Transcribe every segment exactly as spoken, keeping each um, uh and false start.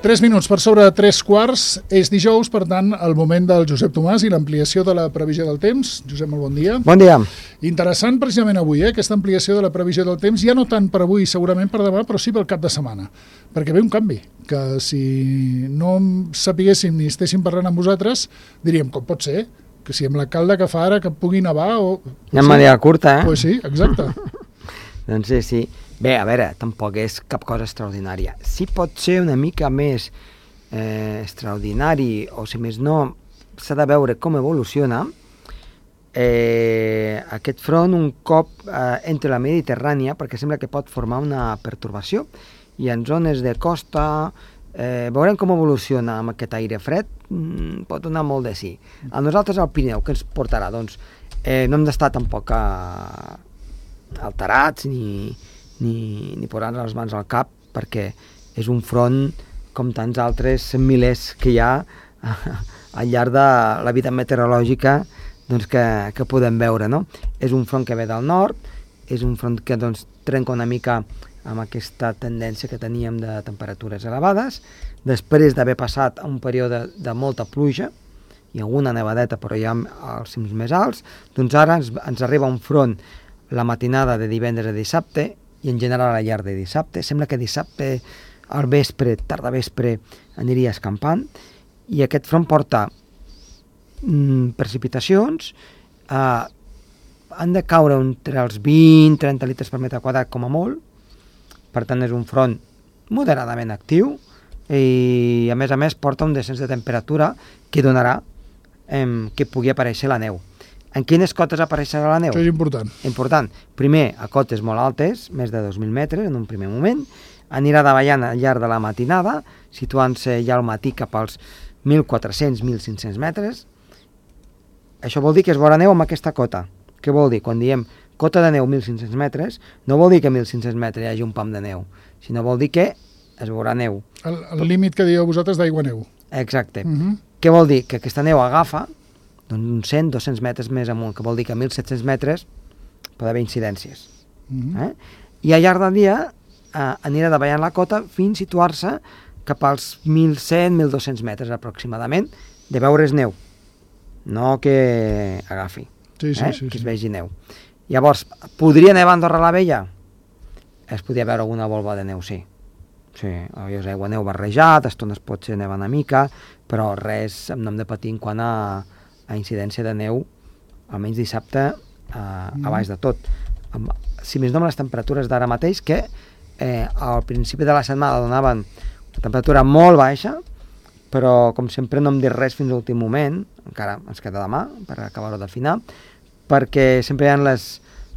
Tres minuts per sobre de tres quarts, és dijous, per tant, el moment del Josep Tomàs i l'ampliació de la previsió del temps. Josep, molt bon dia. Bon dia. Interessant precisament avui, eh, aquesta ampliació de la previsió del temps, ja no tant per avui, segurament per demà, però sí pel cap de setmana, perquè ve un canvi, que si no sapiguéssim ni estéssim parlant amb vosaltres, diríem, com pot ser? Que si amb la calda que fa ara que pugui nevar o... Hi ha manera curta, eh? Pues sí, exacte. Doncs sí, sí. Bé, a veure, tampoc és cap cosa extraordinària. Sí pot ser una mica més eh, extraordinari, o si més no, s'ha de veure com evoluciona eh, aquest front un cop eh, entre la Mediterrània, perquè sembla que pot formar una pertorbació, i en zones de costa eh, veurem com evoluciona amb aquest aire fred, mm, pot donar molt de sí. A nosaltres al Pirineu, què ens portarà? Doncs eh, no hem d'estar tampoc a, alterats ni... ni, ni posar les mans al cap, perquè és un front, com tants altres milers que hi ha al llarg de la vida meteorològica, doncs, que, que podem veure, no? És un front que ve del nord, és un front que doncs, trenca una mica amb aquesta tendència que teníem de temperatures elevades, després d'haver passat un període de molta pluja, i alguna nevadeta, però ja als cims més alts, doncs ara ens, ens arriba un front la matinada de divendres a dissabte, i en general a la llarg de dissabte. Sembla que dissabte al vespre, tarda vespre, aniria escampant, i aquest front porta mm, precipitacions, eh, han de caure entre els vint a trenta litres per metre quadrat com a molt, per tant és un front moderadament actiu, i a més a més porta un descens de temperatura que donarà eh, que pugui aparèixer la neu. En quines cotes apareixerà la neu? Això és important. Important. Primer, a cotes molt altes, més de dos mil metres en un primer moment, anirà davallant al llarg de la matinada, situant-se ja al matí cap als mil quatre-cents a mil cinc-cents metres. Això vol dir que es veurà neu amb aquesta cota. Què vol dir? Quan diem cota de neu mil cinc-cents metres, no vol dir que a mil cinc-cents metres hi hagi un pam de neu, sinó vol dir que es veurà neu. El, el límit que dieu vosaltres d'aigua-neu. Exacte. Uh -huh. Què vol dir? Que aquesta neu agafa uns cent a dos-cents metres més amunt, que vol dir que a mil set-cents metres pot haver incidències. Uh-huh. eh? I al llarg del dia eh, anirà davallant la cota fins a situar-se cap als mil cent a mil dos-cents metres aproximadament de veure's neu, no que agafi, sí, sí, eh? sí, que es sí. vegi neu. Llavors, podria nevar a Andorra la Vella? Es podria veure alguna volva de neu, sí. Sí, és aigua neu barrejat, a estones pot ser neva una mica, però res, no hem de patir en quant a a incidència de neu, almenys dissabte, eh, mm. a baix de tot. Amb, si més no amb les temperatures d'ara mateix, que eh, al principi de la setmana donaven una temperatura molt baixa, però com sempre no hem dit res fins a l'últim moment, encara ens queda demà per acabar-ho d'afinar, perquè sempre hi ha les,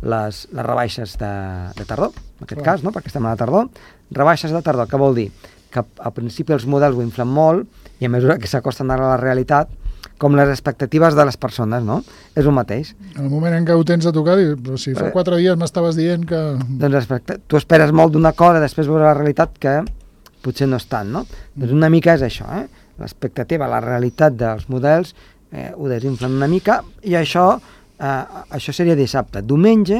les, les rebaixes de, de tardor, en aquest Clar. cas, no? perquè estem a la tardor. Rebaixes de tardor, què vol dir? Que al principi els models ho inflen molt, i a mesura que s'acosten ara a la realitat, com les expectatives de les persones, no? És el mateix. En el moment en què ho tens a tocar, dius, però si fa quatre dies m'estaves dient que... Doncs tu esperes molt d'una cosa, després veure la realitat que potser no és tant, no? Mm. Doncs una mica és això, eh? L'expectativa, la realitat dels models eh, ho desinflen una mica, i això, eh, això seria dissabte. Diumenge,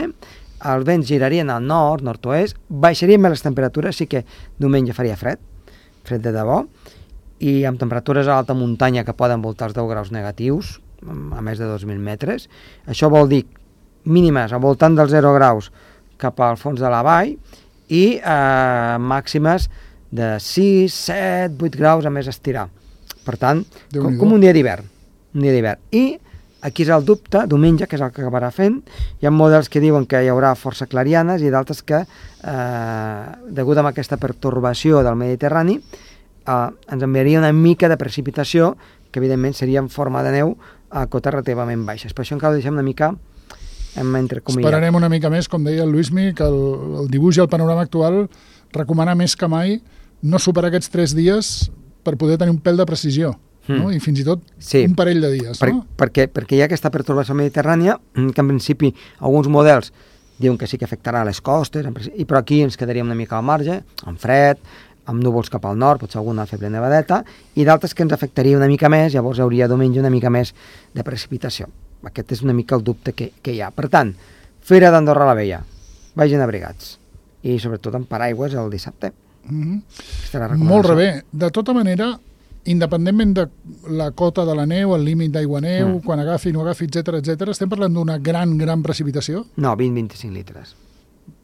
els vents girarien al nord, nord-oest, baixarien més les temperatures, sí que diumenge faria fred, fred de debò, i amb temperatures a l'alta muntanya que poden voltar els deu graus negatius, a més de dos mil metres. Això vol dir mínimes al voltant dels zero graus cap al fons de la vall, i eh, màximes de sis, set, vuit graus a més estirar. Per tant, com, com un dia d'hivern. Un dia d'hivern. I aquí és el dubte, diumenge, que és el que acabarà fent, hi ha models que diuen que hi haurà força clarianes i d'altres que, eh, degut a aquesta pertorbació del Mediterrani, Uh, ens enviaria una mica de precipitació, que evidentment seria en forma de neu a cotes relativament baixes. Per això encara ho deixem una mica entre comillas. Esperarem una mica més, com deia el Luismi, que el, el dibuix i el panorama actual recomana més que mai no superar aquests tres dies per poder tenir un pèl de precisió, mm. no? I fins i tot sí. un parell de dies. Per, no? perquè, perquè hi ha aquesta pertorbació mediterrània, que en principi alguns models diuen que sí que afectarà les costes, i però aquí ens quedaríem una mica al marge, amb fred, amb núvols cap al nord, potser alguna feble nevadeta, i d'altres que ens afectaria una mica més, llavors hi hauria diumenge una mica més de precipitació. Aquest és una mica el dubte que, que hi ha. Per tant, Fira d'Andorra la Vella, vagin abrigats, i sobretot amb paraigües el dissabte. Mm-hmm. Molt bé. De tota manera, independentment de la cota de la neu, el límit d'aigua-neu, mm. quan agafi, no agafi, etcètera, etcètera, estem parlant d'una gran, gran precipitació? No, vint a vint-i-cinc litres.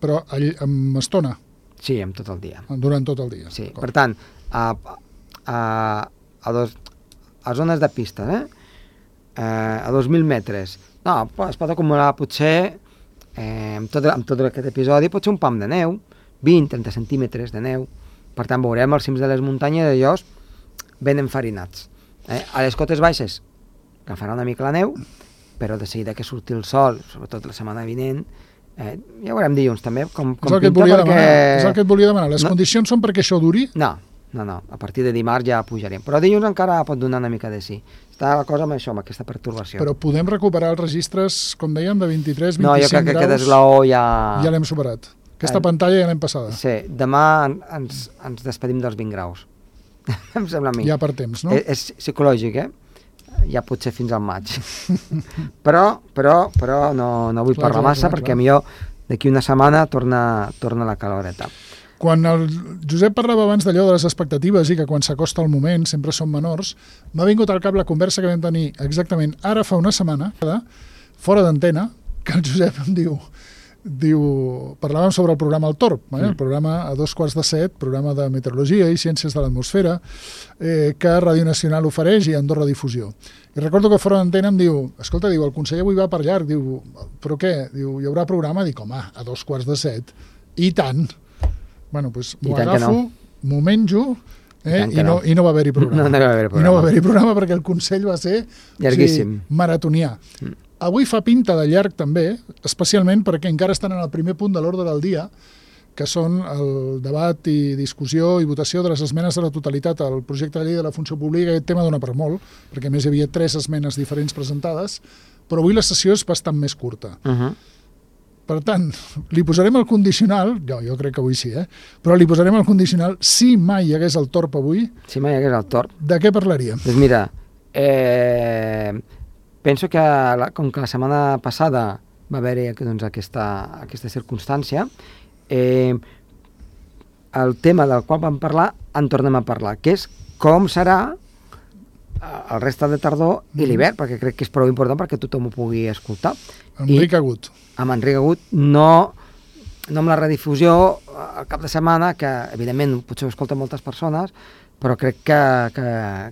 Però amb estona? Sí, amb tot el dia. Durant tot el dia. Sí, per tant, a, a, a, dos, a zones de pista, eh? a dos mil metres, no, es pot acumular potser, eh, amb, tot, amb tot aquest episodi, pot ser un pam de neu, vint a trenta centímetres de neu. Per tant, veurem els cims de les muntanyes d'allòs ben enfarinats. Eh? A les cotes baixes agafarà una mica la neu, però de seguida que surti el sol, sobretot la setmana vinent, eh, ja ho veurem dilluns també, com, com és, el pinta perquè... demanar, és el que et volia demanar. Les no, condicions són perquè això duri? No, no, no. A partir de dimarts ja pujarem. Però dilluns encara pot donar una mica de sí. Està la cosa amb això, amb aquesta pertorbació. Però podem recuperar els registres, com dèiem, de vint-i-tres, vint-i-cinc graus? No, jo crec que aquest eslaó ja... Ja l'hem superat. Aquesta eh, pantalla ja l'hem passada. Sí, demà ens, ens despedim dels vint graus. Em sembla a mi. Ja per temps, no? És, és psicològic, eh? Ja pot ser fins al maig. però, però, però no, no vull clar, parlar clar, massa clar, perquè clar. Millor d'aquí una setmana torna, torna la caloreta. Quan el Josep parlava abans d'allò de les expectatives i que quan s'acosta el moment sempre són menors, m'ha vingut al cap la conversa que vam tenir exactament ara fa una setmana, fora d'antena, que el Josep em diu, diu parlàvem sobre el programa El Torb, eh? El programa a dos quarts de set, programa de meteorologia i ciències de l'atmosfera, eh, que Ràdio Nacional ofereix i Andorra Difusió. I recordo que fora d'antena em diu, escolta, diu, el conseller avui va per llarg, diu, però què? Diu, hi haurà programa? Dic, home, a dos quarts de set, i tant. Bueno, doncs m'ho agafo, no. m'ho menjo, eh, i, no, no. i no va haver-hi programa. No, no va haver programa. I no va haver-hi programa perquè el Consell va ser llarguíssim. O sigui, maratonià. Mm. Avui fa pinta de llarg també, especialment perquè encara estan en el primer punt de l'ordre del dia, que són el debat i discussió i votació de les esmenes de la totalitat al projecte de llei de la funció pública. Aquest tema dona per molt, perquè a més hi havia tres esmenes diferents presentades, però avui la sessió és bastant més curta. Uh-huh. Per tant, li posarem el condicional, jo, jo crec que avui sí, eh? Però li posarem el condicional, si mai hi hagués el Torb avui... Si mai hi hagués el Torb... De què parlaríem? Doncs mira, eh, penso que la, com que la setmana passada va haver-hi doncs, aquesta, aquesta circumstància, eh, el tema del qual vam parlar en tornem a parlar, que és com serà el reste de tardor i l'hivern, perquè crec que és prou important perquè tothom ho pugui escoltar. Enric Agut. Amb Enric Agut, no, no amb la redifusió al cap de setmana, que evidentment potser ho escolten moltes persones, però crec que, que,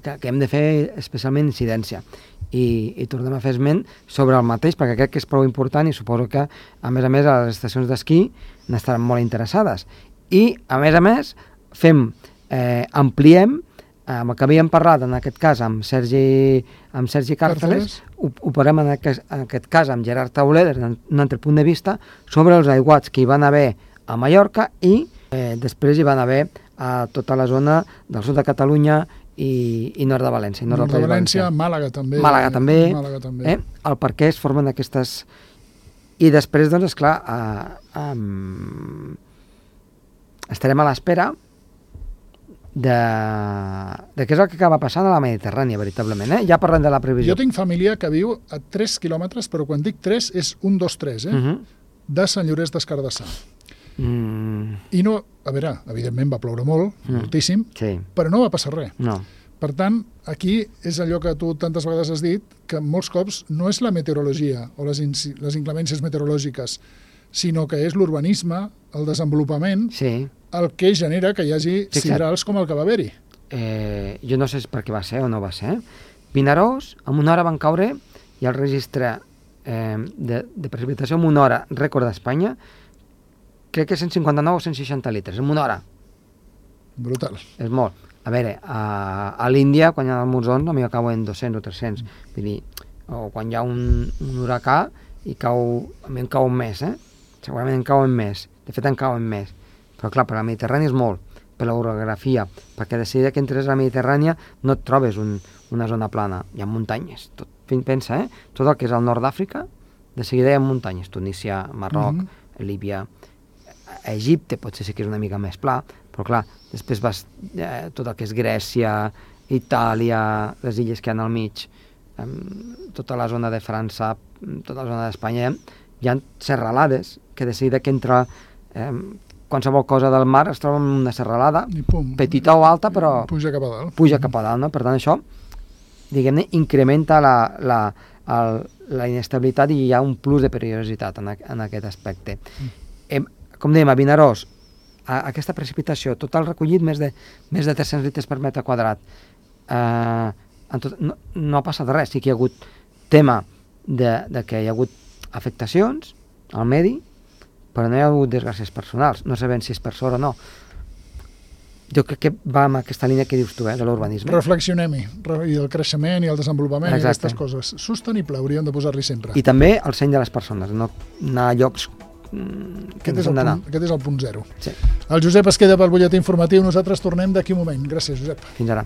que, que hem de fer especialment incidència. I, i tornem a fer esment sobre el mateix, perquè crec que és prou important i suposo que, a més a més, a les estacions d'esquí n'estaran molt interessades. I, a més a més, fem, eh, ampliem amb el que havíem parlat, en aquest cas, amb Sergi, amb Sergi Càrceles, ho, ho parlem en aquest, en aquest cas amb Gerard Tauler, des d'un altre punt de vista, sobre els aiguats que hi van haver a Mallorca i eh, després hi van haver a tota la zona del sud de Catalunya i, i nord de València. Nord, nord de València, València, Màlaga també. Màlaga també, Màlaga també. Eh, el per què es formen aquestes... I després, doncs, esclar, eh, eh, estarem a l'espera de, de què és el que acaba passant a la Mediterrània, veritablement. Eh? Ja parlem de la previsió. Jo tinc família que viu a tres quilòmetres, però quan dic tres és un, dos, tres, eh? Uh-huh. de Sant Llorenç des Cardassar. Mm. I no, a veure, evidentment va ploure molt, mm. moltíssim, sí. però no va passar res. No. Per tant, aquí és allò que tu tantes vegades has dit, que molts cops no és la meteorologia o les, les inclemències meteorològiques, sinó que és l'urbanisme, el desenvolupament, sí. el que genera que hi hagi sí, sidrals com el que va haver-hi. Eh, jo no sé per què va ser o no va ser. Vinaròs, en una hora van caure i el registre eh, de, de precipitació en una hora, rècord d'Espanya, crec que cent cinquanta-nou o cent seixanta litres, en una hora. Brutal. És molt. A veure, a, a l'Índia, quan hi ha els monsons, a mi cauen dos-cents o tres-cents. Vull dir, o quan hi ha un, un huracà, i cau, a mi en cauen més, eh? Segurament en cauen més. De fet, en cauen més. Però clar, per la Mediterrània és molt, per l'orografia, perquè de seguida que entres a la Mediterrània no et trobes un, una zona plana, hi ha muntanyes. Tot, pensa, eh? Tot el que és al nord d'Àfrica, de seguida hi ha muntanyes. Tunísia, Marroc, mm-hmm. Líbia, a Egipte potser sí que és una mica més pla, però clar, després vas eh, tot el que és Grècia, Itàlia, les illes que hi ha al mig, eh, tota la zona de França, tota la zona d'Espanya, hi ha serralades que de seguida que entra eh, qualsevol cosa del mar es troba en una serralada, I pum, petita o alta, però puja cap a dalt. puja cap a dalt, no? Per tant, això, diguem-ne, incrementa la, la, el, la inestabilitat i hi ha un plus de perillositat en, en aquest aspecte. Mm. Hem, com dèiem, a Vinaròs, a, aquesta precipitació, total recollit més de, més de tres-cents litres per metre quadrat, eh, en tot, no, no ha passat res, sí que hi ha hagut tema de, de que hi ha hagut afectacions al medi, però no hi ha hagut desgràcies personals, no sabem si és per sort o no. Jo crec que va amb aquesta línia que dius tu, eh, de l'urbanisme. Reflexionem-hi, i el creixement i el desenvolupament i Exacte. aquestes coses. Sostenible, hauríem de posar-li sempre. I també el seny de les persones, no anar a llocs mm, que Aquest no és, s'han el d'anar. punt, aquest és el punt zero. Sí. El Josep es queda pel butlletí informatiu, nosaltres tornem d'aquí un moment. Gràcies, Josep. Fins ara.